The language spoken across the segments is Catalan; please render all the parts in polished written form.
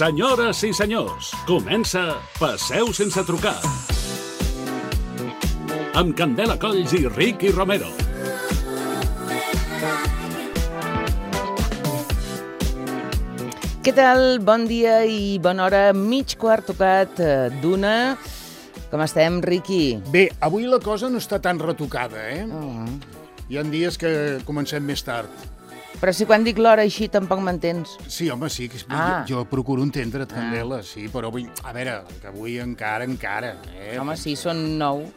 Senyores i senyors, comença Passeu sense trucar. Amb Candela Colls i Ricky Romero. Què tal? Bon dia i bona hora. Mig quart tocat d'una. Com estem, Ricky? Bé, avui la cosa no està tan retocada, eh? Hi ha dies que comencem més tard. Però si quan dic l'hora així tampoc m'entens. Sí, home, sí. Jo procuro entendre't, Candela, sí, però avui... A veure, que avui encara... Home, sí, són 9.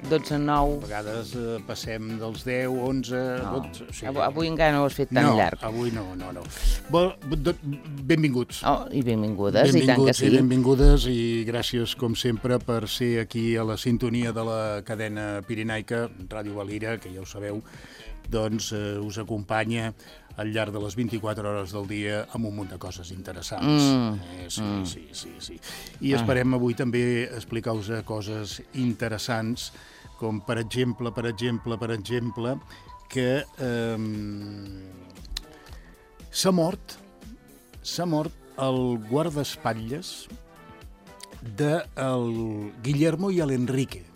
12, 9... A vegades passem dels 10, 11, 12... Sí. Avui encara no ho has fet tan llarg. No, avui no. Benvinguts. Oh, i benvingudes, i tant que sí. Benvingudes i gràcies, com sempre, per ser aquí a la sintonia de la cadena pirinaica, Ràdio Valira, que ja ho sabeu, doncs us acompanya al llarg de les 24 hores del dia amb un munt de coses interessants. Sí. I esperem avui també explicar-vos coses interessants, com per exemple, que s'ha mort el guardaespatlles del Guillermo i l'Enrique.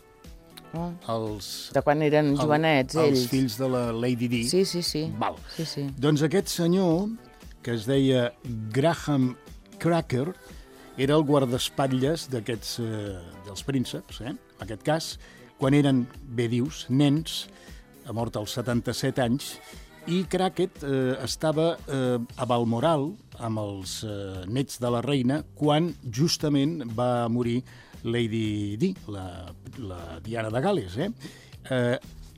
De quan eren jovenets, ells. Els fills de la Lady Di. Sí. Val. Sí. Doncs aquest senyor, que es deia Graham Cracker, era el guardaespatlles d'aquests, dels prínceps, en aquest cas, quan eren, bé dius, nens, ha mort als 77 anys, i Crackett estava a Balmoral amb els nets de la reina quan justament va morir Lady Di, la Diana de Gal·les,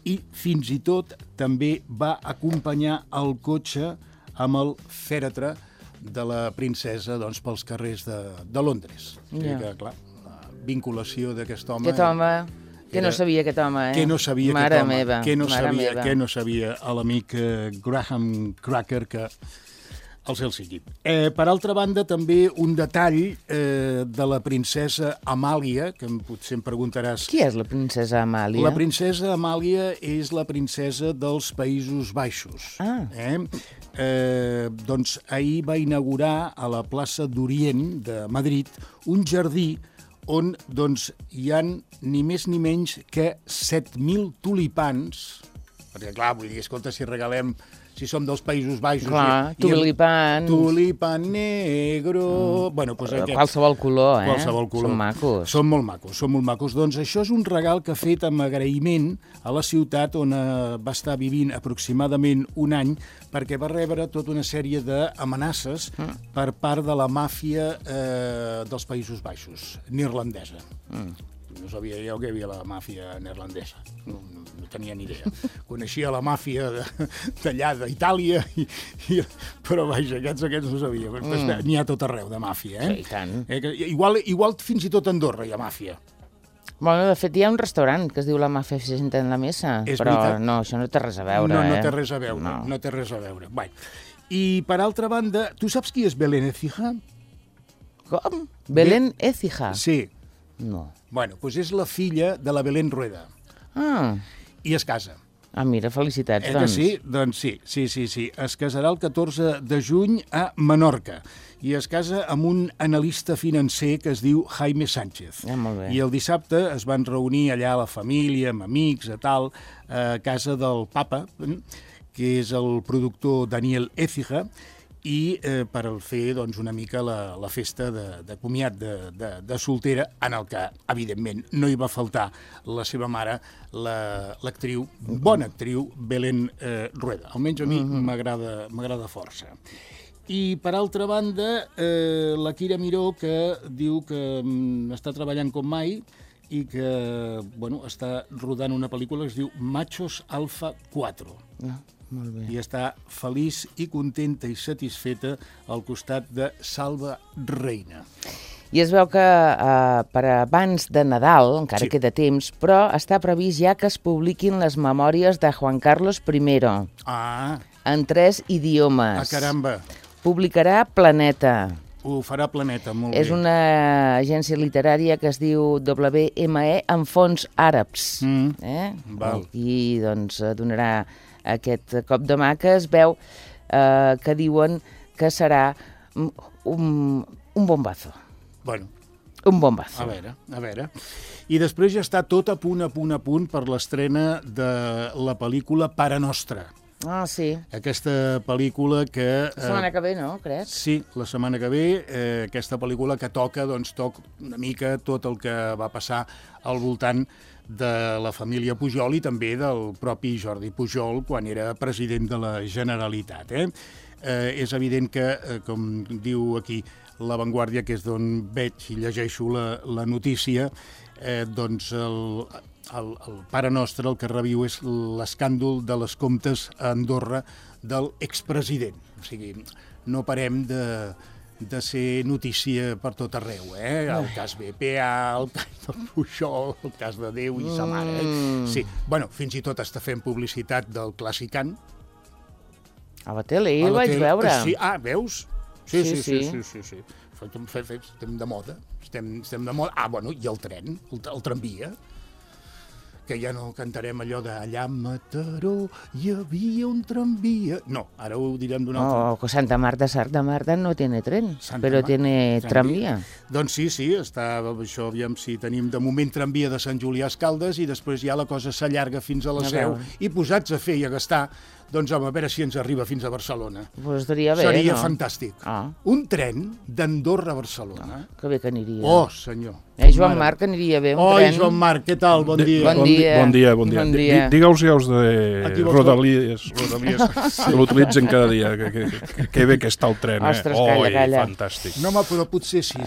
i fins i tot també va acompanyar el cotxe amb el fèretre de la princesa pels carrers de Londres. Que, clar, la vinculació d'aquest home... Aquest home... Que no sabia aquest home, Que no sabia mare aquest home. Meva. Que no sabia l'amic Graham Cracker, que el cel sigui. Per altra banda, també un detall de la princesa Amàlia, que potser em preguntaràs... Qui és la princesa Amàlia? La princesa Amàlia és la princesa dels Països Baixos. Doncs ahir va inaugurar a la plaça d'Orient de Madrid un jardí on hi ha ni més ni menys que 7.000 tulipans, perquè clar, vull dir, escolta, si som dels Països Baixos... Clar, tulipans... Tulipan negro... Qualsevol color, Qualsevol color. Són macos. Són molt macos. Doncs això és un regal que ha fet amb agraïment a la ciutat on va estar vivint aproximadament un any, perquè va rebre tota una sèrie d'amenaces per part de la màfia dels Països Baixos, neerlandesa. No sabia jo que hi havia la màfia neerlandesa, no tenia ni idea. Coneixia la màfia d'allà, d'Itàlia, però vaja, aquests no sabia. N'hi ha tot arreu de màfia, Sí, i tant. Igual fins i tot a Andorra hi ha màfia. Bueno, de fet, hi ha un restaurant que es diu La Màfia se sienta en la mesa, però no, això no té res a veure. No té res a veure, no té res a veure. I per altra banda, tu saps qui és Belén Écija? Com? Belén Écija? Sí. No. Bueno, doncs és la filla de la Belén Rueda. I es casa. Mira, felicitats, Que sí? Doncs sí. Es casarà el 14 de juny a Menorca i es casa amb un analista financer que es diu Jaime Sánchez. Molt bé. I el dissabte es van reunir allà la família, amb amics, a casa del papa, que és el productor Daniel Écija, i per fer una mica la festa de comiat de soltera, en el que, evidentment, no hi va faltar la seva mare, l'actriu, bona actriu, Belén Rueda. Almenys a mi m'agrada força. I, per altra banda, la Kira Miró, que diu que està treballant com mai i que està rodant una pel·lícula que es diu Machos Alfa 4. Molt bé. I està feliç i contenta i satisfeta al costat de Salva Reina. I es veu que per abans de Nadal, encara queda temps, però està previst ja que es publiquin les memòries de Juan Carlos I. En 3 idiomes. Caramba! Publicarà Planeta. Ho farà Planeta, molt bé. És una agència literària que es diu WME amb fons àrabs. Val. I doncs donarà aquest cop de mà que es veu que diuen que serà un bombazo. Bueno, un bombazo. A veure. I després ja està tot a punt per l'estrena de la pel·lícula Pare Nostre. Ah, sí. Aquesta pel·lícula que... La setmana que ve, no, crec? Sí, la setmana que ve, aquesta pel·lícula que toca una mica tot el que va passar al voltant de la família Pujol i també del propi Jordi Pujol quan era president de la Generalitat. És evident que, com diu aquí La Vanguardia, que és d'on veig i llegeixo la notícia, doncs el Pare Nostre el que reviu és l'escàndol de les comptes a Andorra del expresident. O sigui, no parem de ser notícia per tot arreu, El cas BPA, el cas del Pujol, el cas de Déu i sa mare. Sí, bueno, fins i tot està fent publicitat del Classicant. A la tele, el vaig veure. Sí, veus? Sí. Estem de moda. Estem de moda. Bueno, i el tren, el tramvia, que ja no cantarem allò de allà a Mataró hi havia un tramvia. No, ara ho direm d'una altra. No, Santa Marta no tiene tren, però tiene tramvia. Doncs sí, està això, aviam si tenim de moment tramvia de Sant Julià a Escaldes i després ja la cosa s'allarga fins a la Seu i posats a fer i a gastar, doncs a veure si ens arriba fins a Barcelona. Pues estaria bé, seria fantàstic. Un tren d'Andorra a Barcelona. Que bé que aniria. Oh, senyor. Joan Marc, aniria bé un tren. Joan Marc, què tal? Bon dia. Bon dia. Digue'ls ja els de Rodalies, que l'utilitzen cada dia, que bé que està el tren. Ostres, calla. Fantàstic. No, però potser sí,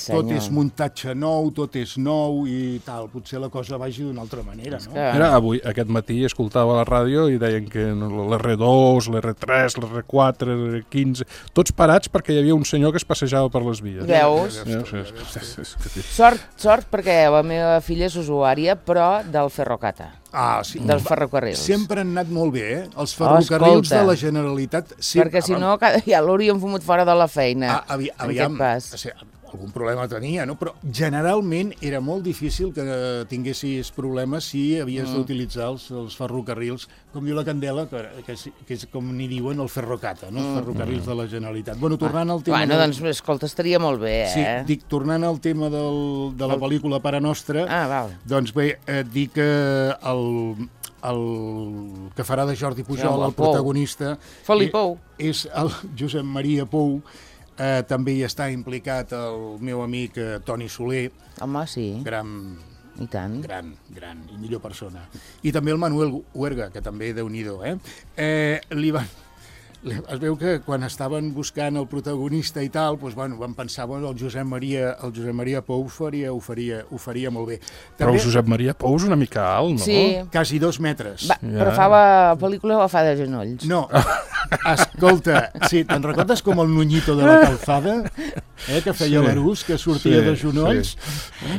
tot és muntatge nou, tot és nou i tal, potser la cosa vagi d'una altra manera, no? Mira, avui, aquest matí, escoltava la ràdio i deien que l'R2, l'R3, l'R4, l'R15, tots parats perquè hi havia un senyor que es passejava per les vies. Veus? Sort perquè la meva filla és usuària, però del Ferrocata. Sí. Dels ferrocarrils. Sempre han anat molt bé, els ferrocarrils de la Generalitat. Perquè si no, ja l'hauríem fumut fora de la feina. Aviam, algun problema tenia, no? Però generalment era molt difícil que tinguessis problemes si havies d'utilitzar els ferrocarrils, com diu la Candela, que és com n'hi diuen el Ferrocata, no? Els ferrocarrils de la Generalitat. Bueno, tornant al tema... Doncs, escolta, estaria molt bé, Sí, dic, tornant al tema de la pel·lícula Pare Nostre, doncs bé, dic que el que farà de Jordi Pujol, el protagonista, és el Josep Maria Pou. També hi està implicat el meu amic Toni Soler. Home, sí. Gran i millor persona. I també el Manuel Huerga, que també Déu-n'hi-do, es veu que quan estaven buscant el protagonista i tal, doncs, van pensar que el Josep Maria Pou ho faria molt bé. Però el Josep Maria Pou és una mica alt, no? Sí. Quasi 2 metres. Però fa la pel·lícula o fa de genolls? No, escolta, sí, te'n recordes com el Nuñito de la Calzada? Que feia l'Arús, que sortia de genolls?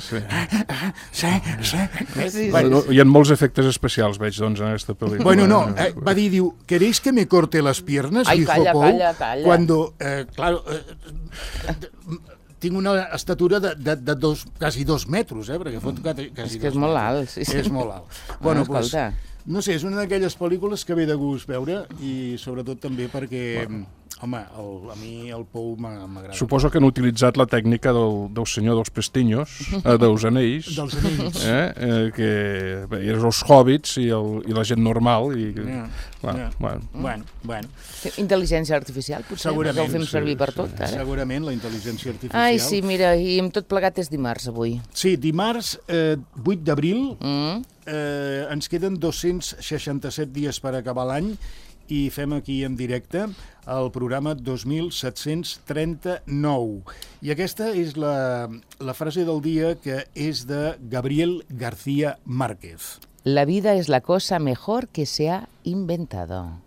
Sí. Hi ha molts efectes especials, veig, doncs, en aquesta pel·lícula. Bueno, no, va dir, ¿queréis que me corte las piernas? Ai, calla. Cuando, claro, tinc una estatura de quasi 2 metres, perquè fot quasi 2 metres. És que és molt alt, sí. És molt alt. Bueno, doncs, no sé, és una d'aquelles pel·lícules que ve de gust veure i sobretot també perquè, home, a mi el Pou m'agrada. Suposo que han utilitzat la tècnica del senyor dels pestinyos, dels anells, que eren els hòbbits i la gent normal. Bueno. Intel·ligència artificial, potser, que ho fem servir per tot, ara. Segurament, la intel·ligència artificial. Ai, sí, mira, i amb tot plegat és dimarts, avui. Sí, dimarts, 8 d'abril, ens queden 267 dies per acabar l'any i fem aquí en directe el programa 2739. I aquesta és la frase del dia, que és de Gabriel García Márquez. La vida es la cosa mejor que se ha inventado.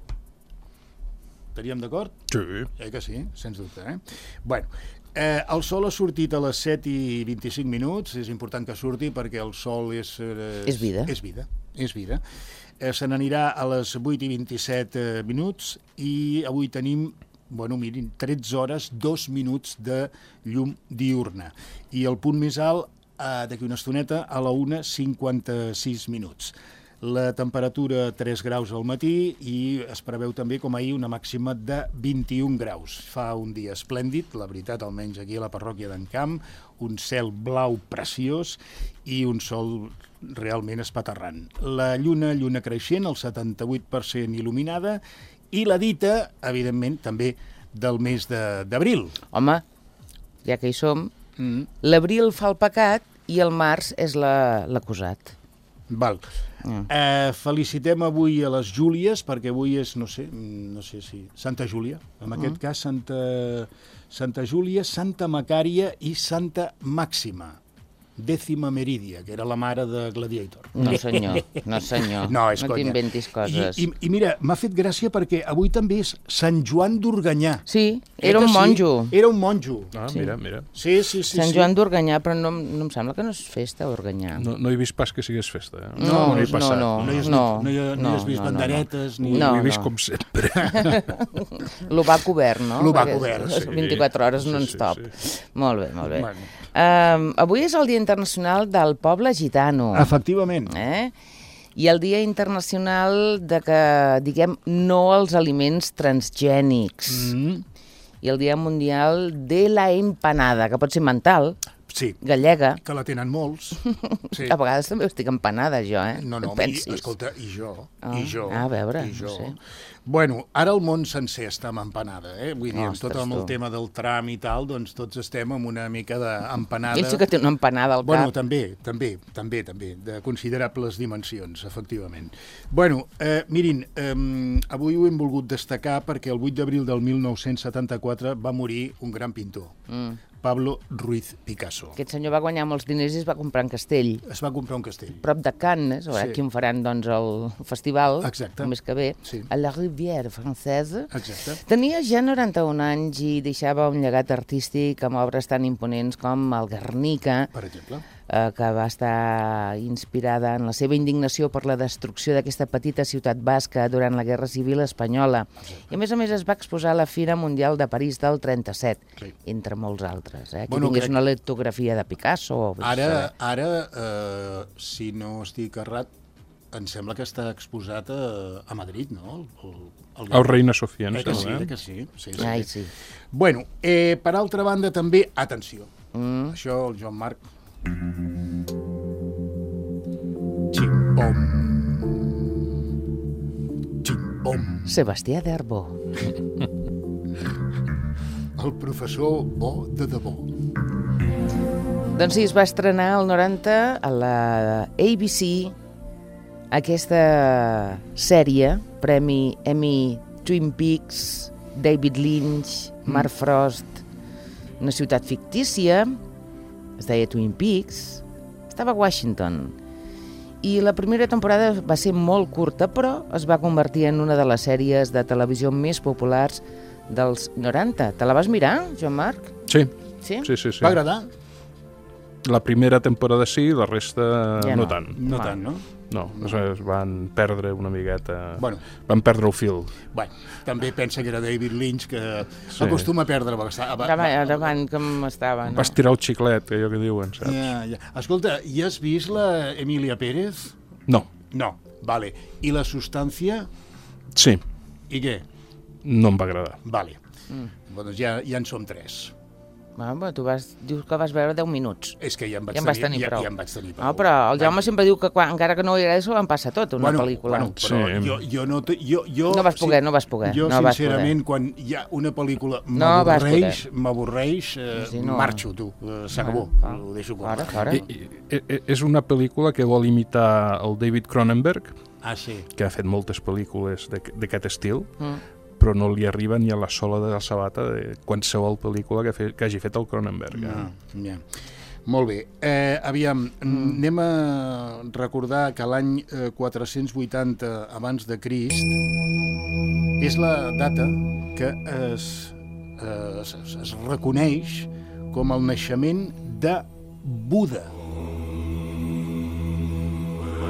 Estaríem d'acord? Sí. Que sí, sens dubte, Bueno, el sol ha sortit a les 7:25, és important que surti perquè el sol és vida. És vida. Se n'anirà a les 8:27 i avui tenim, mirin, 13 hores, 2 minuts de llum diurna. I el punt més alt, d'aquí una estoneta, a la 1:56. La temperatura 3 graus al matí i es preveu també, com ahir, una màxima de 21 graus. Fa un dia esplèndid, la veritat, almenys aquí a la parròquia d'en Camp, un cel blau preciós i un sol realment espaterrant. La lluna creixent, el 78% il·luminada, i la dita, evidentment, també del mes d'abril. Home, ja que hi som, l'abril fa el pecat i el març és l'acusat. Val. Felicitem avui a les Júlies, perquè avui és, no sé si... Santa Júlia, en aquest cas Santa Júlia, Santa Macària i Santa Màxima. Dècima Meridia, que era la mare de Gladiator. No, senyor. No t'inventis coses. I mira, m'ha fet gràcia perquè avui també és Sant Joan d'Organyà. Sí, era un monjo. Era un monjo. Ah, mira. Sí. Sant Joan d'Organyà, però no em sembla que no és festa, Organyà. No he vist pas que sigués festa. No hi has vist banderetes, ni... No he vist com sempre. Lo va cobert, no? Lo va cobert, sí. 24 hores non-stop. Sí. Molt bé. Avui és el Dia Internacional del Poble Gitano. Efectivament. I el Dia Internacional de que diguem no als aliments transgènics. I el Dia Mundial de la Empanada, que pot ser mental, gallega. Que la tenen molts. Sí. A vegades també estic empanada, jo, No, escolta, i jo. A veure, no sé. Bueno, ara el món sencer està amb empanada, Vull dir, amb tot el tema del tram i tal, doncs tots estem amb una mica d'empanada. Ell sí que té una empanada al cap. Bueno, també, de considerables dimensions, efectivament. Bueno, mirin, avui ho hem volgut destacar perquè el 8 d'abril del 1974 va morir un gran pintor, Pablo Ruiz Picasso. Aquest senyor va guanyar molts diners i es va comprar un castell. Es va comprar un castell. Prop de Cannes, aquí on faran doncs, el festival, el mes que ve, a la Rivière Francesa. Exacte. Tenia ja 91 anys i deixava un llegat artístic amb obres tan imponents com el Guernica, per exemple, que va estar inspirada en la seva indignació per la destrucció d'aquesta petita ciutat basca durant la Guerra Civil Espanyola. I a més es va exposar a la Fira Mundial de París del 37, entre molts altres. Aquí tingués una litografia de Picasso. Ara, si no estic errat, em sembla que està exposat a Madrid, no? El Reina Sofia, que sí. Ai, sí. Bueno, per altra banda, també, atenció, això el Joan Marc... Ximpom. Sebastià d'Arbó. El professor Bo de debò. Doncs sí, es va estrenar el 90 a la ABC aquesta sèrie, Premi Emmy, Twin Peaks, David Lynch, Mark Frost, una ciutat fictícia, es deia Twin Peaks, estava a Washington. I la primera temporada va ser molt curta, però es va convertir en una de les sèries de televisió més populars dels 90. Te la vas mirar, Joan Marc? Sí. Sí? Sí. Va agradar? La primera temporada sí, la resta ja no tant. No tant, no? No, es van perdre una miqueta... Bueno. Van perdre el fil. Bueno, també pensa que era David Lynch, que acostuma a perdre bastant. Davant com estava, no? Va estirar el xiclet, allò que diuen, saps? Ja. Escolta, i has vist la Emilia Pérez? No. No, vale. I la Substància? Sí. I què? No em va agradar. Vale. Doncs ja en som 3. Tu dius que vas veure 10 minuts. És que ja em vaig tenir prou. No, però el Jaume sempre diu que encara que no li agrada, s'ho van passar tot, una pel·lícula. Però jo no... No vas poder. Jo, sincerament, quan hi ha una pel·lícula m'avorreix, marxo, tu. S'acabó, ho deixo córrer. És una pel·lícula que vol imitar el David Cronenberg, que ha fet moltes pel·lícules d'aquest estil, però no li arriba ni a la sola de la sabata de qualsevol pel·lícula que hagi fet el Cronenberg. Molt bé. Aviam, anem a recordar que l'any 480 abans de Crist és la data que es reconeix com el naixement de Buda.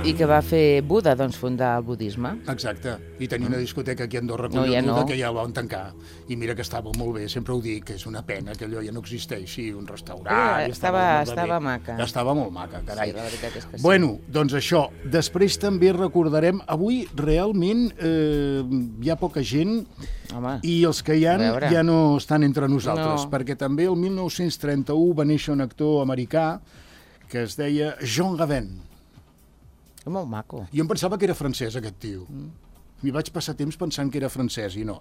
I que va fer Buda, doncs, fundar el budisme. Exacte. I tenia una discoteca aquí a Andorra, que ja la van tancar. I mira que estava molt bé, sempre ho dic, que és una pena que allò ja no existeixi, un restaurant... Estava maca. Estava molt maca, carai. Sí, la veritat és que sí. Bueno, doncs això. Després també recordarem... Avui realment hi ha poca gent. Home, i els que hi ha ja no estan entre nosaltres, perquè també el 1931 va néixer un actor americà que es deia Jean Gabin. Molt maco. Jo em pensava que era francès, aquest tio. M'hi vaig passar temps pensant que era francès, i no.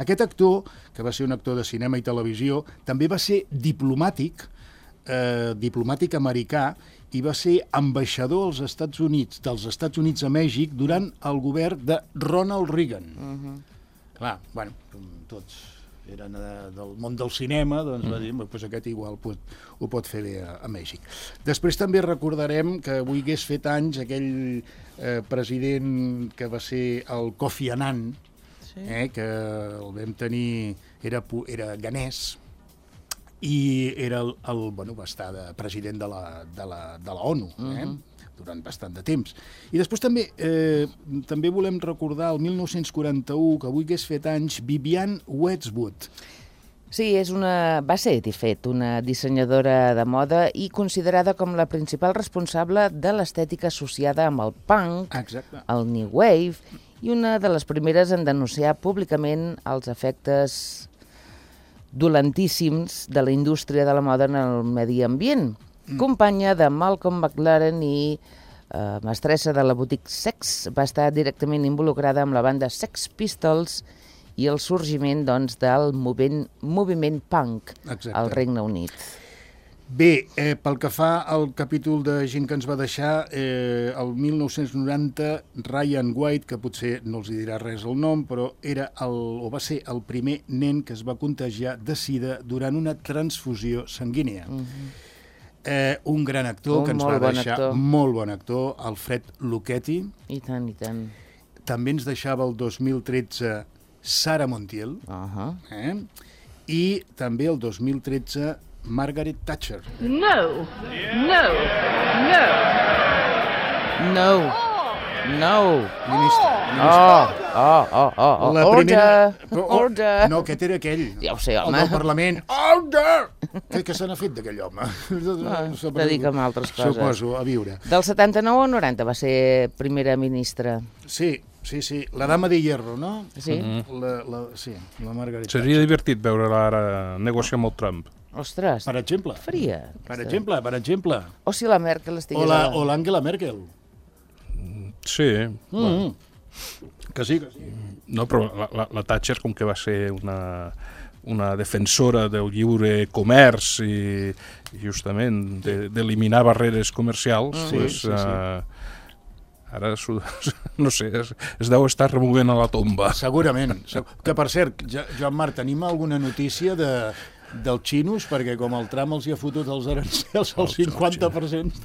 Aquest actor, que va ser un actor de cinema i televisió, també va ser diplomàtic americà, i va ser ambaixador dels Estats Units a Mèxic durant el govern de Ronald Reagan. Clar, bueno, tots eren del món del cinema, doncs va dir, doncs aquest igual ho pot fer bé a Mèxic. Després també recordarem que avui hagués fet anys aquell president que va ser el Kofi Annan, que el vam tenir, era ganès, i va estar de president de la ONU, durant bastant de temps. I després també volem recordar el 1941, que avui hagués fet anys, Vivienne Westwood. Sí, va ser, de fet, una dissenyadora de moda i considerada com la principal responsable de l'estètica associada amb el punk, el new wave, i una de les primeres en denunciar públicament els efectes dolentíssims de la indústria de la moda en el medi ambient. Companya de Malcolm McLaren i mestressa de la boutique Sex, va estar directament involucrada amb la banda Sex Pistols i el sorgiment del moviment punk al Regne Unit. Bé, pel que fa al capítol de gent que ens va deixar, el 1990, Ryan White, que potser no els dirà res el nom, però va ser el primer nen que es va contagiar de sida durant una transfusió sanguínia. Un gran actor que ens va deixar, molt bon actor, Alfred Lucchetti. I tant, i tant. També ens deixava el 2013 Sarah Montiel. I també el 2013 Margaret Thatcher. No. Order! No, aquest era aquell. Ja ho sé, home. El del Parlament. Order! Què se n'ha fet d'aquell home? Dedica a altres coses. Suposo, a viure. Del 79 al 90 va ser primera ministra. Sí. La dama de hierro, no? Sí. La Margaret Thatcher. Seria divertit veure-la ara negociar amb el Trump. Ostres, per exemple. Faria. Per exemple. O si la Merkel estigués... O l'Angela Merkel. Sí. Que sí. No, però la Thatcher, com que va ser una defensora del lliure comerç i justament d'eliminar barreres comercials, ara, no sé, es deu estar removent a la tomba. Segurament. Que, per cert, Joan Marc, tenim alguna notícia dels xinos, perquè com el Trump els hi ha fotut els arancels al 50%,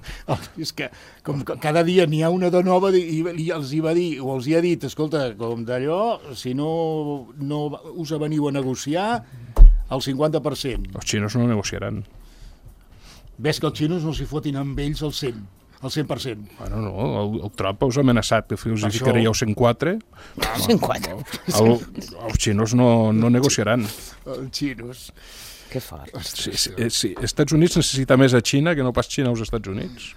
és que com cada dia n'hi ha una de nova i els hi va dir, o els hi ha dit, escolta, com d'allò, si no us veniu a negociar, al 50%. Els xinos no negociaran. Ves que els xinos no s'hi fotin amb ells al 100%. Al 100%. Bueno, no, el Trump us ha amenaçat que us hi ficaríeu 104. 104. Els xinos no negociaran. Els xinos. Que fort. Sí. Estats Units necessita més a Xina que no pas Xina als Estats Units.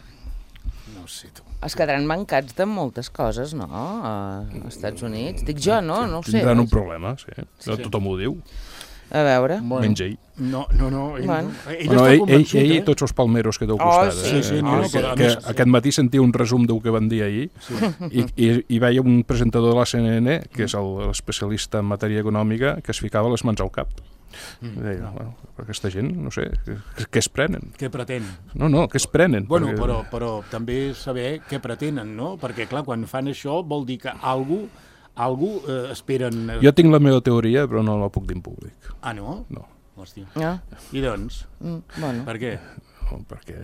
No sé, tu. Es quedaran mancats de moltes coses, no? Als Estats Units. Dic jo, no? No ho sé. Tindran un problema, sí. Tothom ho diu. A veure. Menys ell. No. Ell i tots els palmeros que t'heu costat. Sí. Aquest matí sentia un resum del que van dir ahir i veia un presentador de la CNN, que és l'especialista en matèria econòmica, que es ficava les mans al cap. Deia, bueno, aquesta gent, no sé, què es prenen? Què pretén? No, què es prenen? Bueno, però també saber què pretenen, no? Perquè, clar, quan fan això vol dir que algú esperen... Jo tinc la meva teoria, però no la puc dir en públic. Ah, no? No. Hòstia. No? I doncs? Bueno. Per què? No, perquè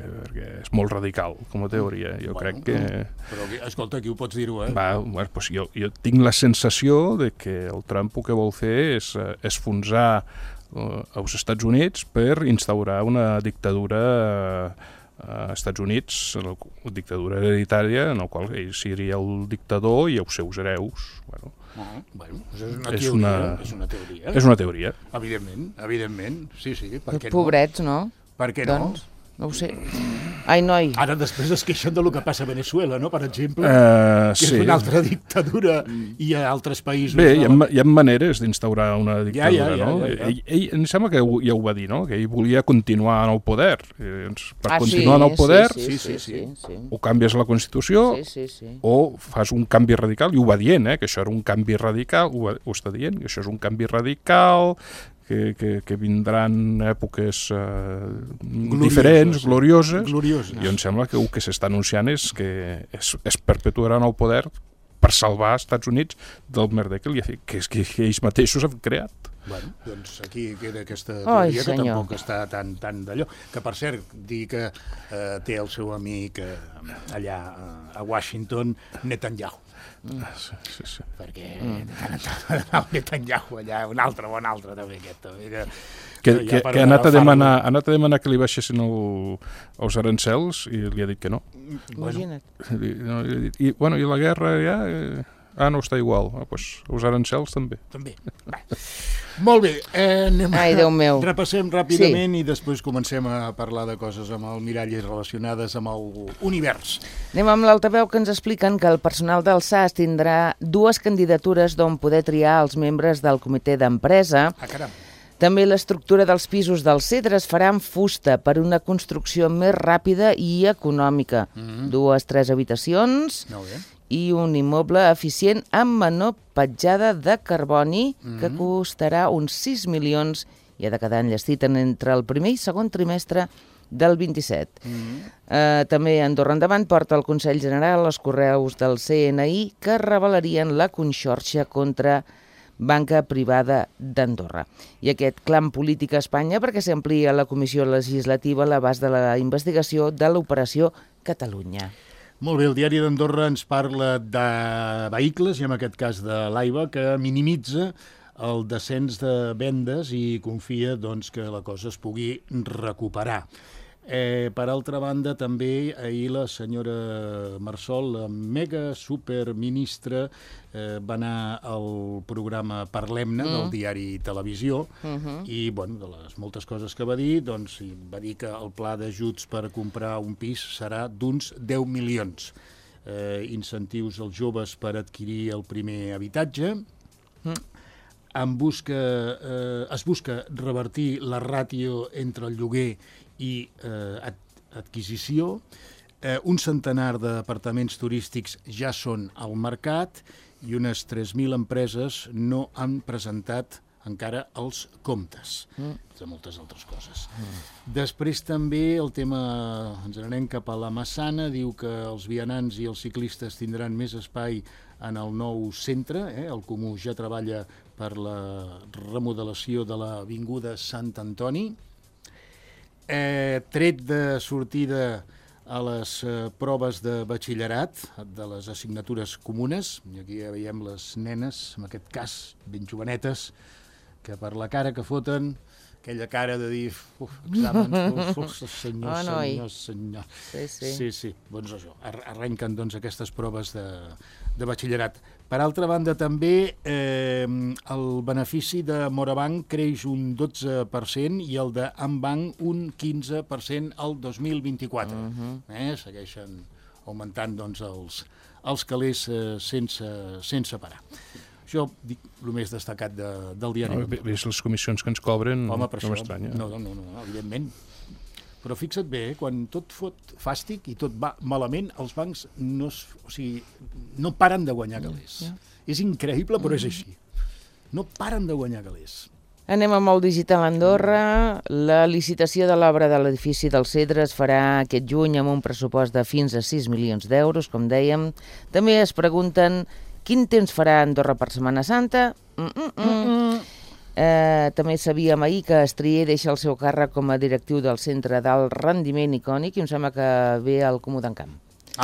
és molt radical, com a teoria. Jo crec que... Però, escolta, aquí ho pots dir-ho, Doncs jo tinc la sensació de que el Trump el que vol fer és esfonsar als Estats Units per instaurar una dictadura als Estats Units, la dictadura hereditària, en el qual ell seria el dictador i els seus hereus. És una teoria. És una teoria. Evidentment, sí, per què no? Pobrets, no? Per què no? No ho sé. Ai, noi. Ara després es queixen del que passa a Venezuela, no?, per exemple, que és una altra dictadura i a altres països. Bé, hi ha maneres d'instaurar una dictadura, no? Ell em sembla que ja ho va dir, no?, que ell volia continuar en el poder. Per continuar en el poder, o canvies la Constitució o fas un canvi radical, i ho va dient, que això era un canvi radical, ho està dient, que això és un canvi radical, que vindran èpoques diferents, glorioses, i em sembla que el que s'està anunciant és que es perpetuaran el poder per salvar els Estats Units del merder que ells mateixos han creat. Bueno, doncs aquí queda aquesta teoria que tampoc està tan d'allò. Que, per cert, dir que té el seu amic allà a Washington, Netanyahu. Sí. Perquè el Netanyahu allà, un altre també, aquest. Que ha anat a demanar que li baixessin els arancels i li ha dit que no. Imagina't. I la guerra ja... no està igual. Doncs els arancels també. Molt bé, Déu meu. Repassem ràpidament i després comencem a parlar de coses amb el Miralles relacionades amb l'univers. Anem amb l'altaveu, que ens expliquen que el personal del SAS tindrà 2 candidatures d'on poder triar els membres del comitè d'empresa. Caram. També l'estructura dels pisos del Cedre es farà en fusta per una construcció més ràpida i econòmica. 2-3 habitacions i un immoble eficient amb menor petjada de carboni que costarà uns 6 milions i ha de quedar enllestit entre el primer i segon trimestre del 27. També Andorra Endavant porta al Consell General els correus del CNI que revelarien la conxorxa contra banca privada d'Andorra. I aquest clam polític a Espanya perquè s'amplia a la Comissió Legislativa l'abast de la investigació de l'Operació Catalunya. Molt bé, el Diari d'Andorra ens parla de vehicles, i en aquest cas de l'AIBA, que minimitza el descens de vendes i confia que la cosa es pugui recuperar. Per altra banda, també ahir la senyora Marsol, la mega superministra, va anar al programa Parlem-ne del diari Televisió i, de les moltes coses que va dir, va dir que el pla d'ajuts per comprar un pis serà d'uns 10 milions. Incentius als joves per adquirir el primer habitatge. Es busca revertir la ràtio entre el lloguer i adquisició. Un centenar d'apartaments turístics ja són al mercat i unes 3.000 empreses no han presentat encara els comptes, de moltes altres coses. Després també el tema, ens anem cap a la Massana, diu que els vianants i els ciclistes tindran més espai en el nou centre. El Comú ja treballa per la remodelació de l'avinguda Sant Antoni. Tret de sortida a les proves de batxillerat de les assignatures comunes, i aquí ja veiem les nenes, en aquest cas ben jovenetes, que per la cara que foten, aquella cara de dir exàmens, senyor. Sí. Doncs això, arrenquen aquestes proves de batxillerat. Per altra banda, també el benefici de Morabanc creix un 12% i el d'Ambanc un 15% al 2024. Segueixen augmentant els calés sense parar. Això, dic, el més destacat del diari. Ves les comissions que ens cobren, no m'estranya. No, evidentment. Però fixa't bé, quan tot fot fàstic i tot va malament, els bancs no paren de guanyar calés. És increïble, però és així. No paren de guanyar calés. Anem amb el Digital Andorra. La licitació de l'obra de l'edifici del Cedre es farà aquest juny amb un pressupost de fins a 6 milions d'euros, com dèiem. També es pregunten quin temps farà Andorra per Setmana Santa. També sabíem ahir que Estrier deixa el seu càrrec com a directiu del Centre d'Alt Rendiment Icònic i em sembla que ve al Comú d'Encamp.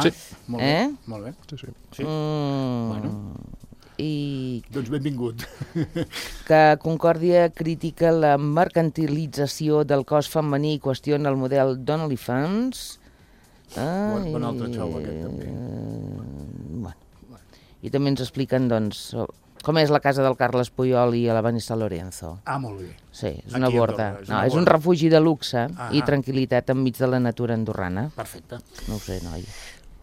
Sí, molt bé. Sí. Doncs benvingut. Que Concòrdia critica la mercantilització del cos femení i qüestiona el model d'OnlyFans. Bon altre xou, aquest, també. Bueno. I també ens expliquen, doncs, com és la casa del Carles Puyol i la Vanessa Lorenzo. Molt bé. Sí, és una borda. És un refugi de luxe i tranquil·litat enmig de la natura andorrana. Perfecte. No ho sé, noi.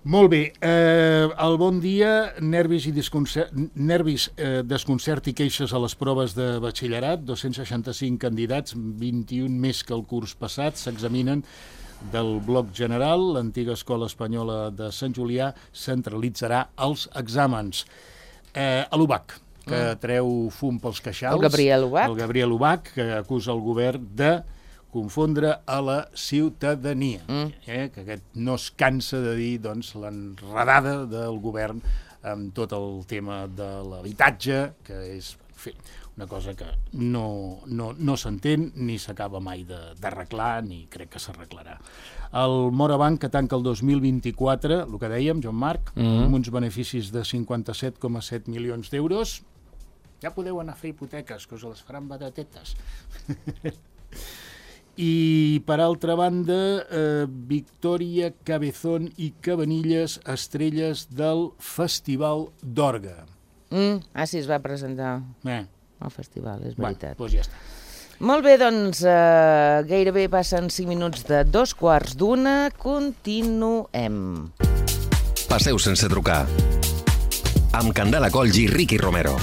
Molt bé, el bon dia, nervis, desconcert i queixes a les proves de batxillerat, 265 candidats, 21 més que el curs passat, s'examinen del bloc general, l'antiga escola espanyola de Sant Julià centralitzarà els exàmens. A l'UBAC, que treu fum pels queixals. El Gabriel Ubach. El Gabriel Ubach, que acusa el govern de confondre a la ciutadania, que aquest no es cansa de dir l'enredada del govern amb tot el tema de l'habitatge, que és una cosa que no s'entén ni s'acaba mai d'arreglar, ni crec que s'arreglarà. El Morabanc, que tanca el 2024, el que dèiem, Joan Marc, amb uns beneficis de 57,7 milions d'euros. Ja podeu anar a fer hipoteques, que us les faran batatetes. I, per altra banda, Victòria Cabezón i Cabanilles, estrelles del Festival d'Orga. Sí, es va presentar al festival, és veritat. Doncs ja està. Molt bé, doncs, gairebé passen 5 minuts de 2:15. Continuem. Passeu sense trucar. Amb Candela Colls i Ricky Romero.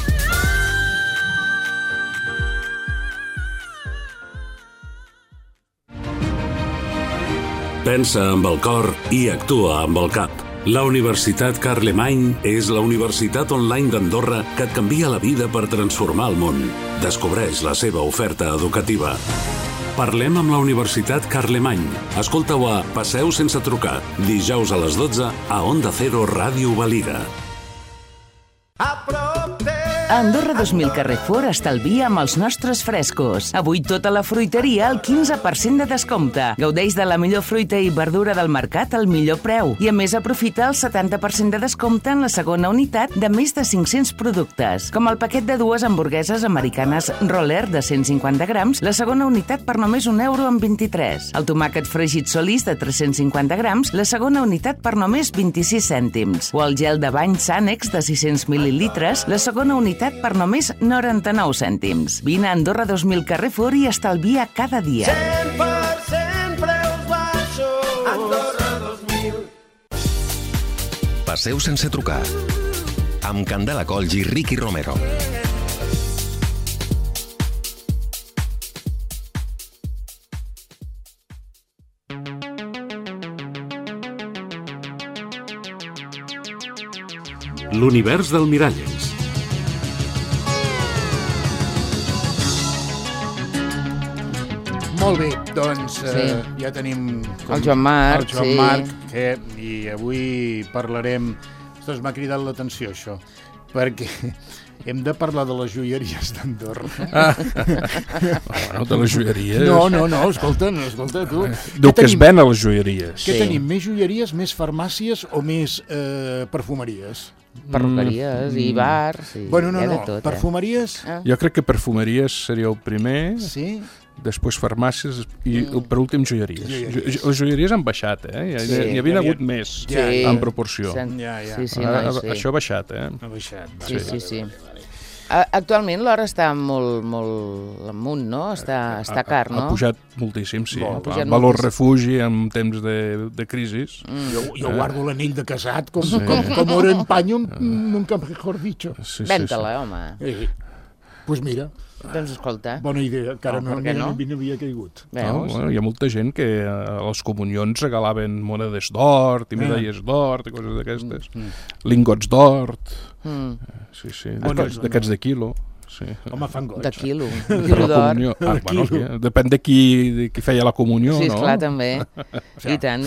Pensa amb el cor i actua amb el cap. La Universitat Carlemany és la universitat online d'Andorra que et canvia la vida per transformar el món. Descobreix la seva oferta educativa. Parlem amb la Universitat Carlemany. Escolta-ho a Passeu sense trucar, dijous a les 12 a Onda Cero Ràdio Valira. A Andorra 2000 Carrefour estalvia amb els nostres frescos. Avui tota la fruiteria al 15% de descompte. Gaudeix de la millor fruita i verdura del mercat al millor preu. I a més aprofita el 70% de descompte en la segona unitat de més de 500 productes. Com el paquet de 2 hamburgueses americanes Roller de 150 grams, la segona unitat per només €1,23. El tomàquet fregit Solís de 350 grams, la segona unitat per només 26 cèntims. O el gel de bany Sanex de 600 mil·lilitres, la segona unitat per només 99 cèntims. Vine a Andorra 2000 Carrefour i estalvia cada dia. 100% preus baixos. Andorra 2000. Passeu sense trucar. Amb Candela Colls i Ricky Romero. L'univers del Miralles. Molt bé, doncs ja tenim el Joan Marc, i avui parlarem... Ostres, m'ha cridat l'atenció això, perquè hem de parlar de les joieries d'Andorra. Bueno, de les joieries... No, escolta tu. Diu que es ven a les joieries. Què tenim? Més joieries, més farmàcies o més perfumeries? Perruqueries i bars... Bueno, no, perfumeries... Jo crec que perfumeries seria el primer... Sí? Després farmàcies i per últim joieries. Les joieries han baixat, N'hi havia hagut més en proporció. Això ha baixat, Ha baixat. Sí. Actualment l'or està molt amunt, no? Està car, no? Ha pujat moltíssim, sí. Valor refugi en temps de crisi. Jo guardo l'anell de casat com oro en paño, nunca mejor dicho. Ven-te-la, home. Pues mira... Doncs escolta. Bona idea, encara no havia caigut. Hi ha molta gent que a les comunions regalaven monedes d'or, i medalles d'or, i coses d'aquestes. Lingots d'or. Sí. D'aquests de quilo. Sí. Home, fan goig. De quilo d'or. Depèn de qui feia la comunió, no? Sí, esclar, també. I tant.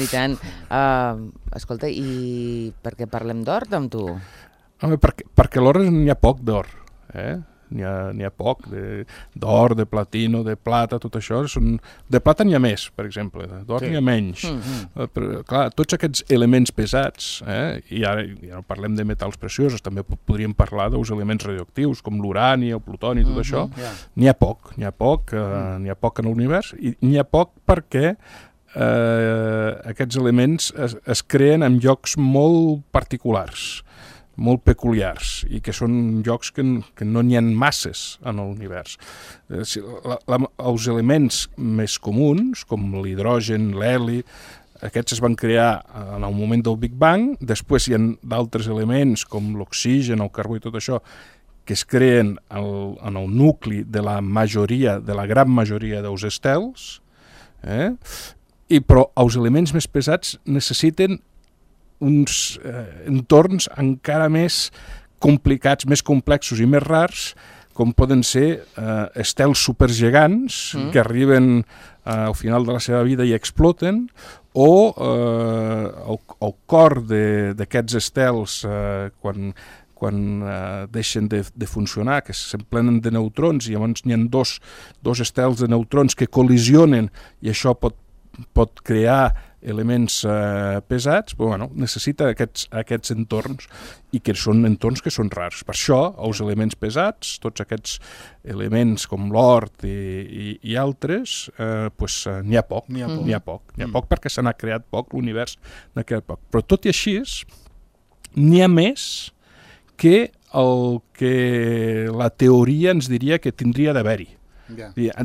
Escolta, i per què parlem d'or amb tu? Home, perquè l'or n'hi ha poc d'or, N'hi ha poc, d'or, de platino, de plata, tot això. De plata n'hi ha més, per exemple, d'or n'hi ha menys. Però, clar, tots aquests elements pesats, i ara ja no parlem de metalls preciosos, també podríem parlar dels elements radioactius, com l'urani, el plutoni, tot això. N'hi ha poc en l'univers, i n'hi ha poc perquè aquests elements es creen en llocs molt particulars, molt peculiars, i que són llocs que no n'hi ha masses en l'univers. Els elements més comuns, com l'hidrogen, l'heli, aquests es van crear en el moment del Big Bang. Després hi ha d'altres elements, com l'oxigen, el carbó i tot això, que es creen en el nucli de la gran majoria dels estels, però els elements més pesats necessiten uns entorns encara més complicats, més complexos i més rars, com poden ser estels supergegants que arriben al final de la seva vida i exploten, o el cor d'aquests estels quan deixen de funcionar, que s'emplenen de neutrons, i llavors n'hi ha dos estels de neutrons que col·lisionen, i això pot crear elements pesats. Però necessita aquests entorns, i que són entorns que són rars. Per això els elements pesats, tots aquests elements com l'or i altres, n'hi ha poc. N'hi ha poc perquè se n'ha creat poc, l'univers n'ha creat poc. Però tot i així, n'hi ha més que el que la teoria ens diria que tindria d'haver-hi.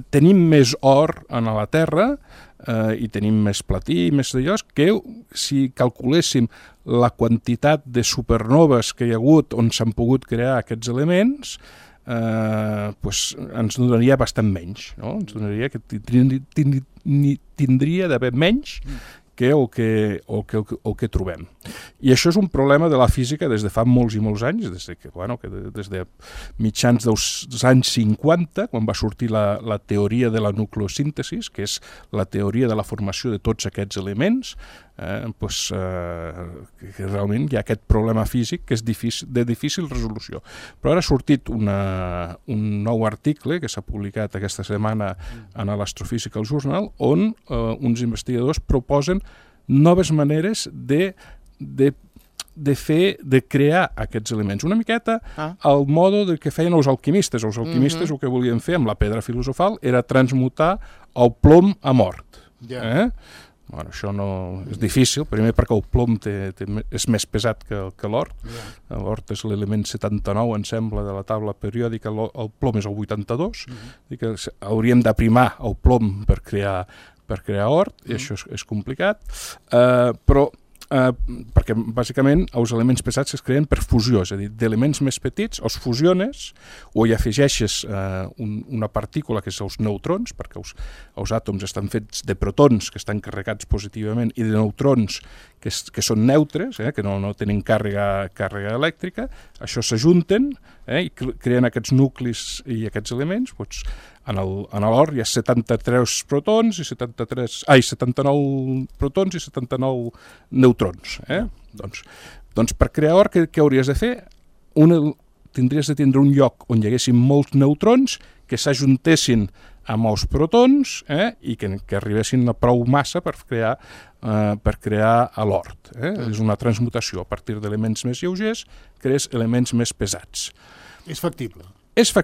Tenim més or a la Terra i tenim més platí i més d'allò, que si calculéssim la quantitat de supernoves que hi ha hagut on s'han pogut crear aquests elements, ens donaria bastant menys, no? Ens donaria que tindria d'haver menys que el que trobem. I això és un problema de la física des de fa molts i molts anys, des de mitjans dels anys 50, quan va sortir la teoria de la nucleosíntesi, que és la teoria de la formació de tots aquests elements, que realment hi ha aquest problema físic que és de difícil resolució. Però ara ha sortit un nou article que s'ha publicat aquesta setmana en l'Astrophysical Journal, on uns investigadors proposen noves maneres de crear aquests elements. Una miqueta al mode que feien els alquimistes. Els alquimistes el que volien fer amb la pedra filosofal era transmutar el plom a mort. Això no és difícil, primer perquè el plom és més pesat que l'or. L'or és l'element 79, em sembla, de la taula periòdica, el plom és el 82, i que hauríem d'aprimar el plom per crear or, i això és complicat, però perquè bàsicament els elements pesats es creen per fusió, és a dir, d'elements més petits els fusiones o hi afegeixes una partícula que és els neutrons, perquè els àtoms estan fets de protons que estan carregats positivament i de neutrons que són neutres, que no tenen càrrega elèctrica. Això s'ajunten i creen aquests nuclis i aquests elements. En l'or hi ha 73 protons i 79 protons i 79 neutrons. Doncs per crear or, què hauries de fer? Tindries de tindre un lloc on hi haguessin molts neutrons que s'ajuntessin amb els protons i que arribessin a prou massa per crear l'or. És una transmutació. A partir d'elements més lleugers crees elements més pesats. És factible. És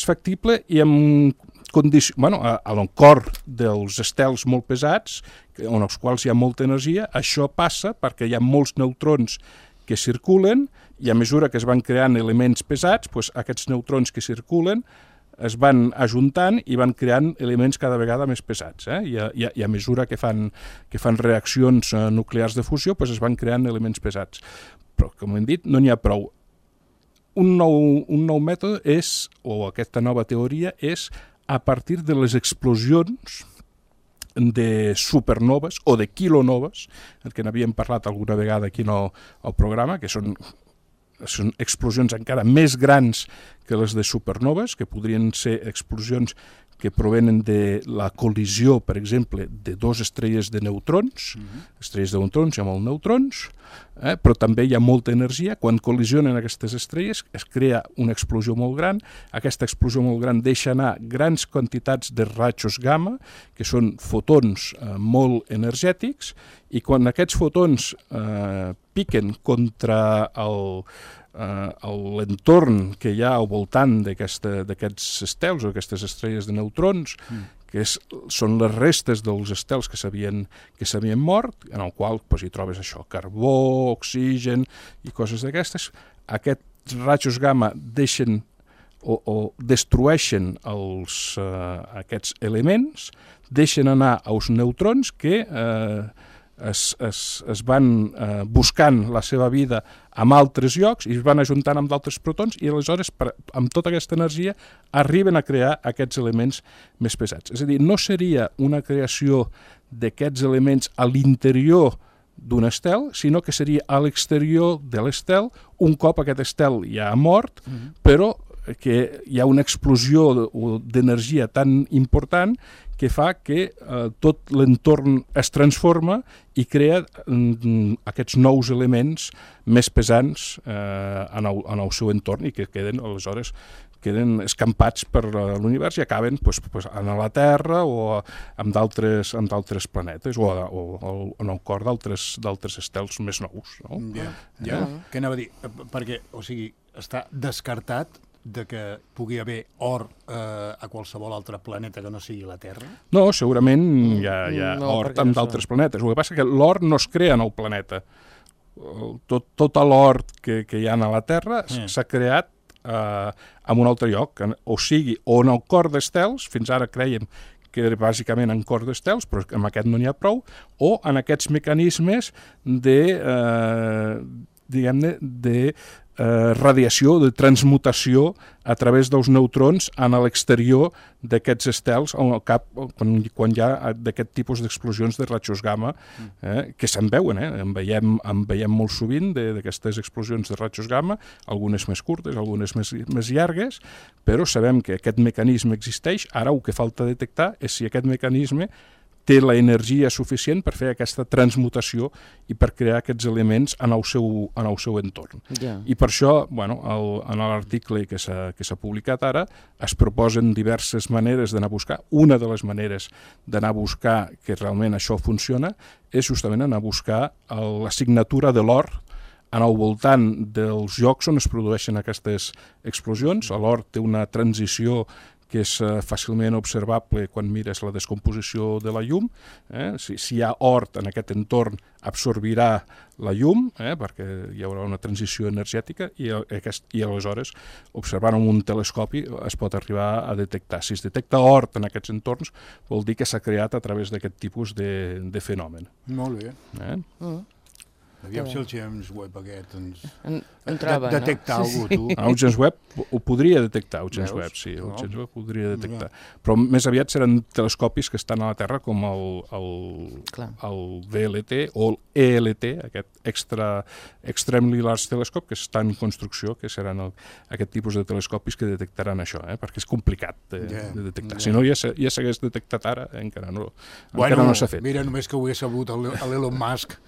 factible i amb condicions... A l'encor dels estels molt pesats, en els quals hi ha molta energia, això passa perquè hi ha molts neutrons que circulen i a mesura que es van creant elements pesats, aquests neutrons que circulen es van ajuntant i van creant elements cada vegada més pesats. I a mesura que fan reaccions nuclears de fusió, es van creant elements pesats. Però, com hem dit, no n'hi ha prou. Un nou mètode o aquesta nova teoria és a partir de les explosions de supernoves o de quilonoves, que n'havíem parlat alguna vegada aquí al programa, que són explosions encara més grans que les de supernoves, que podrien ser explosions que provenen de la col·lisió, per exemple, de dues estrelles de neutrons, estrelles de neutrons i amb neutrons, però també hi ha molta energia. Quan col·lisionen aquestes estrelles es crea una explosió molt gran. Aquesta explosió molt gran deixa anar grans quantitats de rajos gamma, que són fotons molt energètics, i quan aquests fotons piquen contra l'entorn que hi ha al voltant d'aquests estels o aquestes estrelles de neutrons, que són les restes dels estels que s'havien mort, en el qual hi trobes això, carbó, oxigen i coses d'aquestes. Aquests rajos gamma deixen o destrueixen aquests elements, deixen anar als neutrons que es van buscant la seva vida en altres llocs i es van ajuntant amb d'altres protons i aleshores amb tota aquesta energia arriben a crear aquests elements més pesats. És a dir, no seria una creació d'aquests elements a l'interior d'un estel, sinó que seria a l'exterior de l'estel, un cop aquest estel ja ha mort, però que hi ha una explosió d'energia tan important que fa que tot l'entorn es transforma i crea aquests nous elements més pesants en el seu entorn i que aleshores queden escampats per l'univers i acaben a la Terra o en d'altres planetes o en el cor d'altres estels més nous. Ja. Què anava a dir? Perquè, o sigui, està descartat de que pugui haver or a qualsevol altre planeta que no sigui la Terra? No, segurament hi ha or en d'altres planetes. El que passa és que l'or no es crea en el planeta. Tot l'or que hi ha a la Terra s'ha creat en un altre lloc, o sigui, o en el cor d'estels, fins ara creiem que era bàsicament en cor d'estels, però amb aquest no n'hi ha prou, o en aquests mecanismes de radiació, de transmutació a través dels neutrons en l'exterior d'aquests estels quan hi ha d'aquest tipus d'explosions de rajos gamma que se'n veuen, en veiem molt sovint d'aquestes explosions de rajos gamma, algunes més curtes, algunes més llargues, però sabem que aquest mecanisme existeix. Ara el que falta detectar és si aquest mecanisme té la energia suficient per fer aquesta transmutació i per crear aquests elements en el seu entorn. I per això, en l'article que s'ha publicat ara, es proposen diverses maneres d'anar a buscar. Una de les maneres d'anar a buscar que realment això funciona és justament anar a buscar la signatura de l'or en el voltant dels llocs on es produeixen aquestes explosions. L'or té una transició que és fàcilment observable quan mires la descomposició de la llum. Si hi ha or en aquest entorn, absorbirà la llum, perquè hi haurà una transició energètica i aleshores, observant amb un telescopi, es pot arribar a detectar. Si es detecta or en aquests entorns, vol dir que s'ha creat a través d'aquest tipus de fenomen. Molt bé. Aviam si el James Webb aquest detecta alguna cosa, tu. El James Webb ho podria detectar, el James Webb, sí, el James Webb podria detectar. Però més aviat seran telescopis que estan a la Terra com el VLT o l'ELT, aquest Extremely Large Telescope, que està en construcció, que seran aquest tipus de telescopis que detectaran això, perquè és complicat de detectar. Si no, ja s'hagués detectat ara, encara no s'ha fet. Mira, només que ho hagués sabut l'Elon Musk.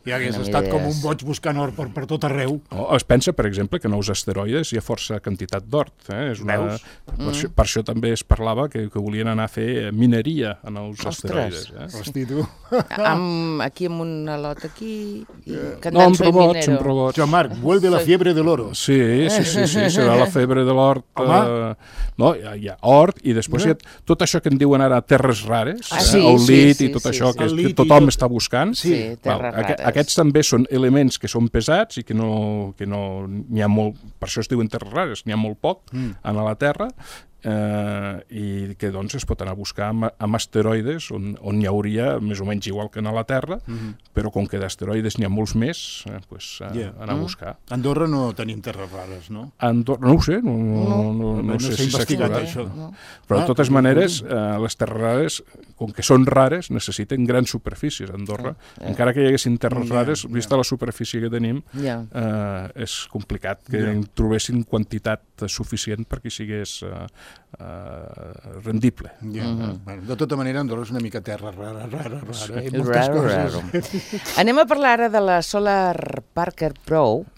Ja hagués estat com un boig buscant or per tot arreu. Es pensa, per exemple, que en els asteroides hi ha força quantitat d'or. Per això també es parlava que volien anar a fer mineria en els asteroides. Hosti, tu. Aquí amb un lot aquí... No, amb robots. Joan Marc, vuelve la fiebre de l'oro. Sí, serà la febre de l'or. No, hi ha or i després hi ha tot això que en diuen ara terres rares, el lit i tot això que tothom està buscant. Sí, terres rares. Aquests també són elements que són pesats i que no n'hi ha molt, per això es diuen terres rares, n'hi ha molt poc a la Terra, i que doncs es pot anar a buscar amb asteroides on n'hi hauria més o menys igual que a la Terra, però com que d'asteroides n'hi ha molts més, anar a buscar. A Andorra no tenim terres rares, no? Andorra, no ho sé, no sé si s'ha explorat això. Però de totes maneres, les terres rares, com que són rares, necessiten grans superfícies a Andorra. Encara que hi haguessin terres rares, vista la superfície que tenim, és complicat que trobessin quantitat suficient perquè sigués rendible. De tota manera, Andorra és una mica terra rara. Anem a parlar ara de la Solar Parker Probe,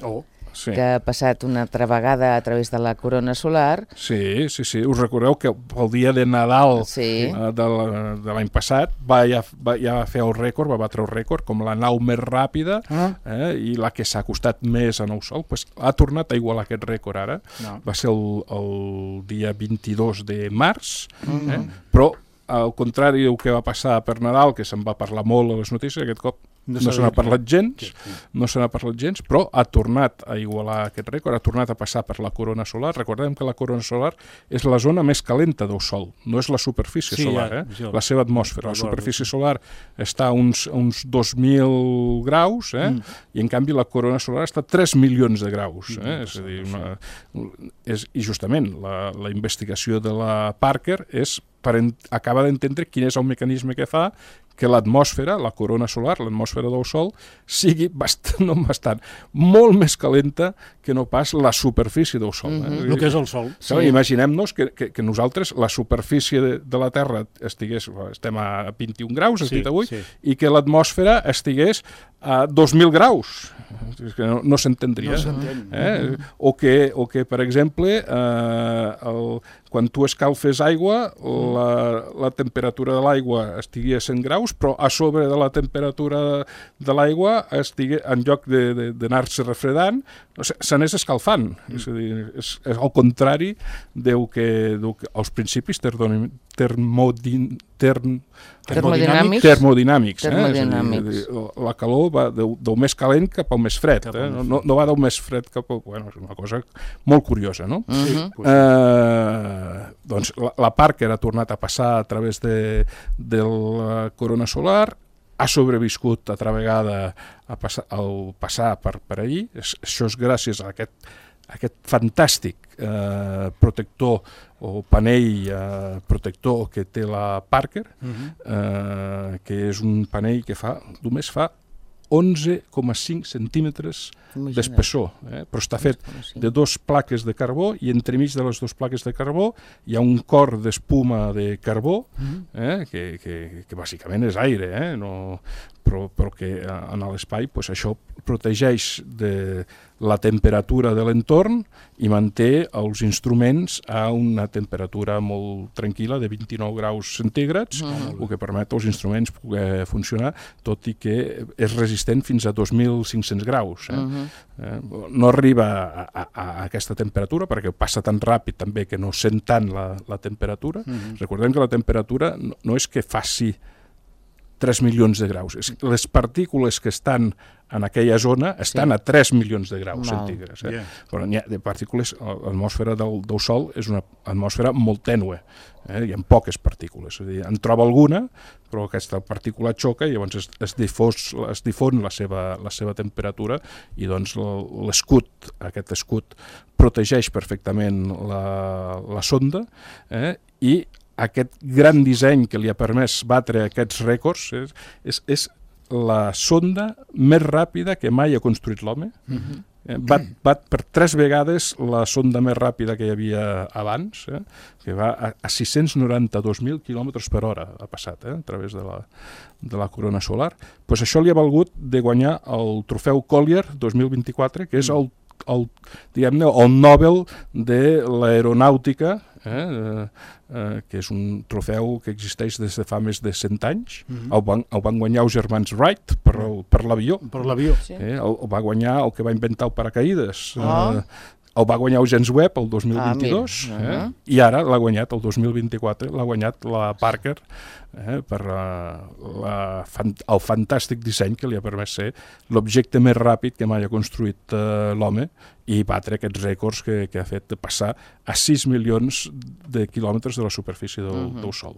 que ha passat una altra vegada a través de la corona solar. Sí. Us recordeu que el dia de Nadal de l'any passat ja va fer el rècord, va batre el rècord com la nau més ràpida i la que s'ha acostat més al Sol. Pues ha tornat a igualar aquest rècord ara. Va ser el dia 22 de març, però al contrari del que va passar per Nadal, que se'n va parlar molt a les notícies, aquest cop no se n'ha parlat gens, però ha tornat a igualar aquest rècord, ha tornat a passar per la corona solar. Recordem que la corona solar és la zona més calenta del Sol, no és la superfície solar, la seva atmosfera. La superfície solar està a uns 2.000 graus, i en canvi la corona solar està a 3 milions de graus. És a dir, i justament la investigació de la Parker és per acabar d'entendre quin és el mecanisme que fa que l'atmosfera, la corona solar, l'atmosfera del Sol, sigui molt més calenta que no pas la superfície del Sol. El que és el Sol. Imaginem-nos que nosaltres, la superfície de la Terra estem a 21 graus, i que l'atmosfera estigués a 2.000 graus. Que no s'entendria. O que, per exemple, quan tu escalfes aigua, la temperatura de l'aigua estigui a 100 graus, però a sobre de la temperatura de l'aigua, en lloc d'anar-se refredant, s'anés escalfant. És a dir, és al contrari del que els principis termodinàmics. La calor va del més calent cap al més fred. No va del més fred cap al... És una cosa molt curiosa, no? Doncs la Parker ha tornat a passar a través de la corona solar, ha sobreviscut altra vegada al passar per allí. Això és gràcies a aquest fantàstic protector o panell protector que té la Parker, que és un panell que només fa 11,5 centímetres d'espessor, però està fet de 2 plaques de carbó i entremig de les 2 plaques de carbó hi ha un cor d'espuma de carbó que bàsicament és aire, però que en l'espai això protegeix de la temperatura de l'entorn i manté els instruments a una temperatura molt tranquil·la de 29 graus centígrads, el que permet als instruments poder funcionar, tot i que és resistent fins a 2.500 graus. No arriba a aquesta temperatura perquè passa tan ràpid també que no sent tant la temperatura. Recordem que la temperatura no és que faci 3 milions de graus. Les partícules que estan en aquella zona estan a 3 milions de graus centígrads. Però n'hi ha de partícules, l'atmosfera del Sol és una atmosfera molt tènue, hi ha poques partícules. En troba alguna, però aquesta partícula xoca i llavors es difon la seva temperatura i doncs aquest escut protegeix perfectament la sonda i aquest gran disseny que li ha permès batre aquests rècords és la sonda més ràpida que mai ha construït l'home. Bat per 3 vegades la sonda més ràpida que hi havia abans, que va a 692.000 km per hora ha passat a través de la corona solar. Pues això li ha valgut de guanyar el trofeu Collier 2024, que és el Nobel de l'aeronàutica, que és un trofeu que existeix des de fa més de 100 anys. El van guanyar els germans Wright per l'avió. El va guanyar el que va inventar el paracaïdes. El va guanyar James Webb el 2022 i ara l'ha guanyat el 2024, l'ha guanyat la Parker per el fantàstic disseny que li ha permès ser l'objecte més ràpid que mai ha construït l'home i batre aquests rècords que ha fet de passar a 6 milions de quilòmetres de la superfície del Sol.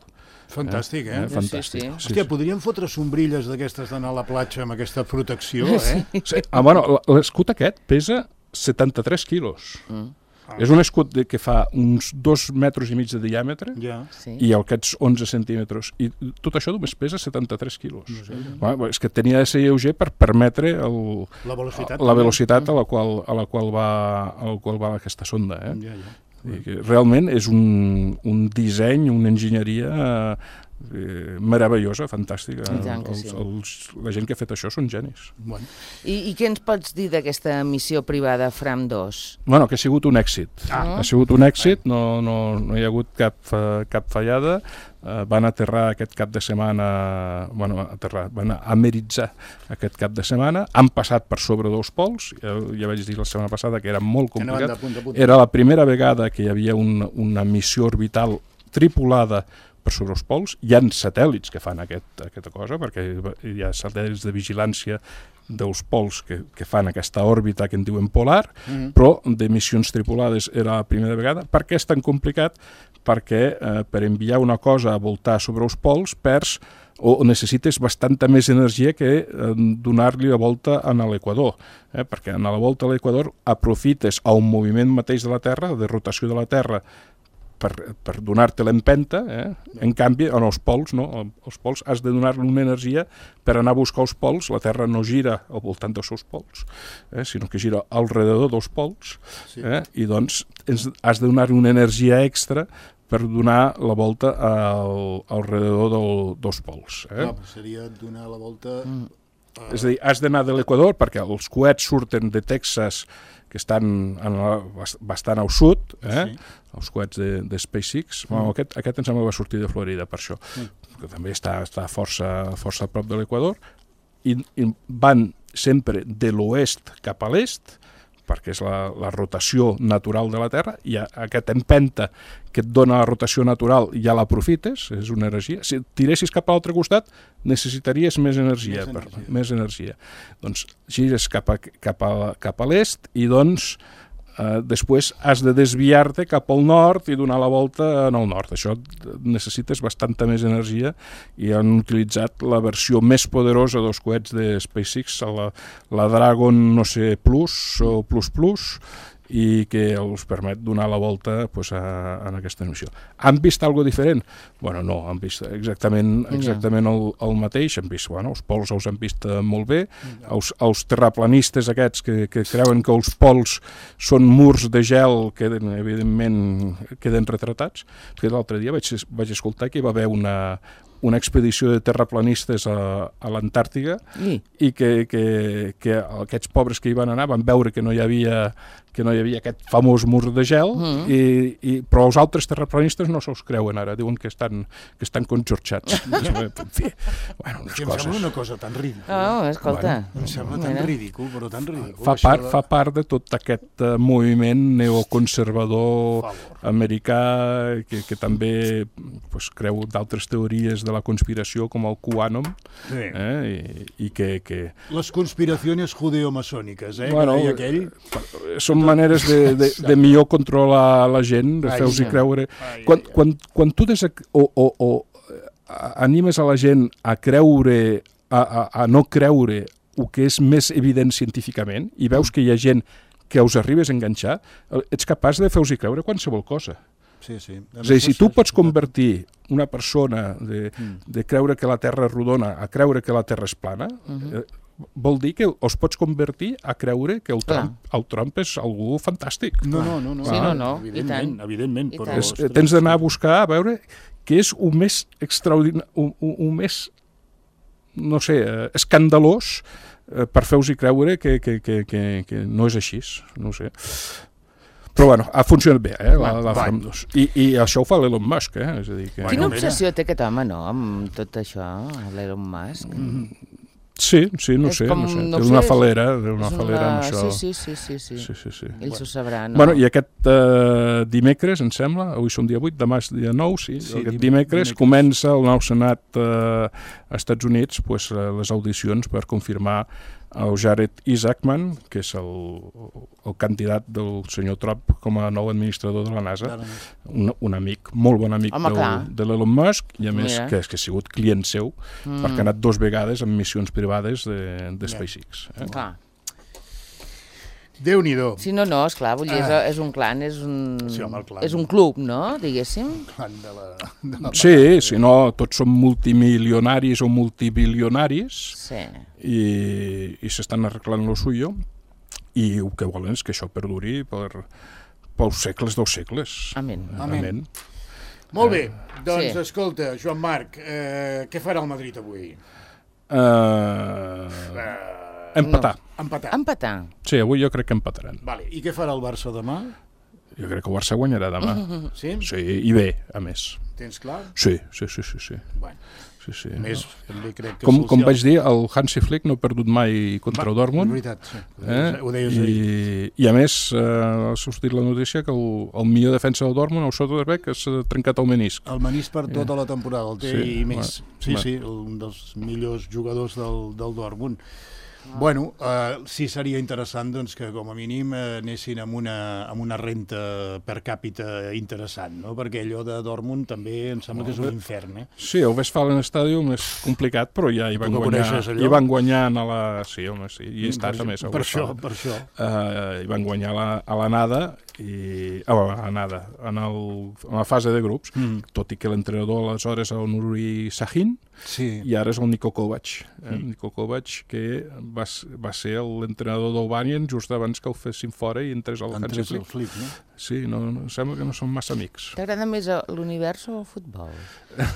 Fantàstic, Fantàstic. Hòstia, podríem fotre sombrilles d'aquestes d'anar a la platja amb aquesta protecció, L'escut aquest pesa 73 quilos. És un escut que fa uns 2,5 metres de diàmetre i aquests 11 centímetres. I tot això només pesa 73 quilos. És que tenia de ser lleuger per permetre la velocitat a la qual va aquesta sonda. Realment és un disseny, una enginyeria meravellosa, fantàstica. La gent que ha fet això són genis. Bueno. I què ens pots dir d'aquesta missió privada Fram 2? Bueno, que ha sigut un èxit. Ha sigut un èxit, no hi ha hagut cap fallada. Van aterrar aquest cap de setmana, van ameritzar aquest cap de setmana, han passat per sobre 2 pols, ja vaig dir la setmana passada que era molt complicat, era la primera vegada que hi havia una missió orbital tripulada per sobre els pols. Hi ha satèl·lits que fan aquesta cosa, perquè hi ha satèl·lits de vigilància dels pols que fan aquesta òrbita que en diuen polar, però de missions tripulades era la primera vegada. Per què és tan complicat? Perquè per enviar una cosa a voltar sobre els pols perds o necessites bastanta més energia que donar-li la volta a l'equador, perquè a la volta a l'equador aprofites un moviment mateix de la Terra, de rotació de la Terra, per donar-te l'empenta, en canvi, en els pols, no? Els pols has de donar-li una energia per anar a buscar els pols. La Terra no gira al voltant dels seus pols, sinó que gira al redador dels pols, i doncs has de donar-li una energia extra per donar la volta al redador dels pols. Seria donar la volta... És a dir, has d'anar de l'equador, perquè els coets surten de Texas, que estan bastant al sud, els coets de SpaceX. Aquest em sembla que va sortir de Florida, per això, que també està força a prop de l'equador, i van sempre de l'oest cap a l'est, perquè és la rotació natural de la Terra, i aquesta empenta que et dona la rotació natural ja l'aprofites, és una energia. Si tiressis cap a l'altre costat, necessitaries més energia. Doncs gires cap a l'est i doncs després has de desviar-te cap al nord i donar la volta en el nord. Això necessites bastanta més energia i han utilitzat la versió més poderosa dels coets de SpaceX, la Dragon, no sé, Plus o Plus, i que els permet donar la volta en aquesta missió. Han vist alguna cosa diferent? Bueno, no, han vist exactament el mateix. Han vist, els pols els han vist molt bé. Els terraplanistes aquests que creuen que els pols són murs de gel evidentment queden retratats. L'altre dia vaig escoltar que hi va haver una expedició de terraplanistes a l'Antàrtica i que aquests pobres que hi van anar van veure que no hi havia aquest famós mur de gel, però els altres terraplanistes no se'ls creuen ara, diuen que estan conxorxats. En fi, em sembla una cosa tan ridícula. Escolta. Em sembla tan ridícul, però tan ridícul. Fa part de tot aquest moviment neoconservador americà que també creu d'altres teories de la conspiració com el QAnon, i que... Les conspiracions judeo-masòniques, són maneres de millor controlar la gent, de fer-los creure... Quan tu animes a la gent a creure, a no creure el que és més evident científicament, i veus que hi ha gent que us arribes a enganxar, ets capaç de fer-los creure qualsevol cosa. Sí. És a dir, si tu pots convertir una persona de creure que la Terra és rodona a creure que la Terra és plana, vol dir que els pots convertir a creure que el Trump és algú fantàstic. No. Sí, no. Evidentment. Tens d'anar a buscar, a veure què és el més extraordinari, el més, no sé, escandalós per fer-vos creure que no és així, no sé. Però bueno, ha funcionat bé, la Fram 2. I això ho fa l'Elon Musk, és a dir que... Quina obsessió té aquest home, no?, amb tot això, l'Elon Musk. Sí, no sé. Té una falera amb això. Sí. Ell s'ho sabrà, no? Bueno, i aquest dimecres, em sembla, avui som dia 8, demà és dia 9, aquest dimecres comença el nou Senat als Estats Units les audicions per confirmar el Jared Isaacman, que és el candidat del senyor Trump com a nou administrador de la NASA, un amic, molt bon amic de l'Elon Musk, i a més que ha sigut client seu, perquè ha anat 2 vegades en missions privades de SpaceX. Déu-n'hi-do. Sí, no, esclar, vull dir, és un clan, és un club, no?, diguéssim. Clan de la... Sí, no, tots són multimilionaris o multibilionaris, i s'estan arreglant lo suyo, i el que volen és que això perduri pels segles dels segles. Amén. Molt bé, doncs escolta, Joan Marc, què farà el Madrid avui? Empatar. Empatar. Sí, avui jo crec que empataran. Vale. I què farà el Barça demà? Jo crec que el Barça guanyarà demà. Sí? Sí, i bé, a més. Tens clar? Sí. Bueno. Sí. A més, també crec que... Com vaig dir, el Hansi Flick no ha perdut mai contra el Dortmund. És veritat, sí. Ho deies ahir. I a més, ha sortit la notícia que el millor defensa del Dortmund, el Soderberg, s'ha trencat el menisc. El menisc per tota la temporada, el té i més. Sí, un dels millors jugadors del Dortmund. Bueno, sí seria interessant doncs, que com a mínim anessin amb una renta per càpita interessant, no? Perquè allò de Dortmund també em sembla que és un infern. Sí, el Westfalen Stadium és complicat, però ja hi van guanyar a la... Sí, home, sí, hi he estat a més. Per això. Hi van guanyar a l'anada, en la fase de grups, tot i que l'entrenador aleshores era el Nuri Sahin, i ara és el Niko Kovac. Niko Kovac, que va ser l'entrenador del Bayern just abans que el fessin fora i entrés al Hansi Flick. Sí, sembla que no són massa amics. T'agrada més l'univers o el futbol?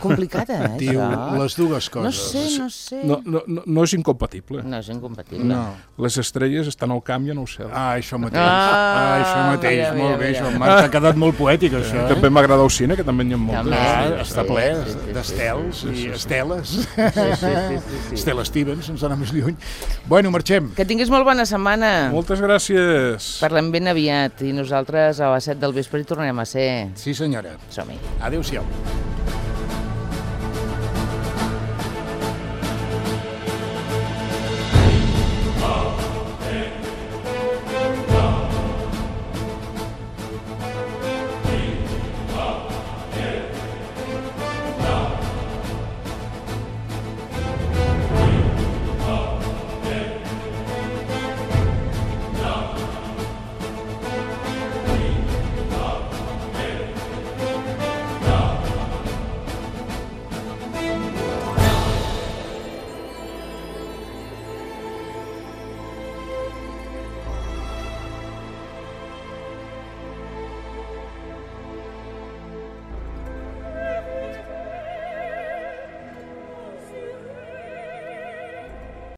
Complicat, Tio, les dues coses. No sé. No és incompatible. No és incompatible. Les estrelles estan al camp i en el cel. Això mateix. Molt bé, Joan Marc. T'ha quedat molt poètic, això. També m'agrada el cine, que també n'hi ha moltes. Està ple d'estels i esteles. Estela Stevens, ens anar més lluny. Bueno, marxem. Que tinguis molt bona setmana. Moltes gràcies. Parlem ben aviat i nosaltres a les 7 del vespre hi tornarem a ser. Sí, senyora. Som-hi. Adéu-siau.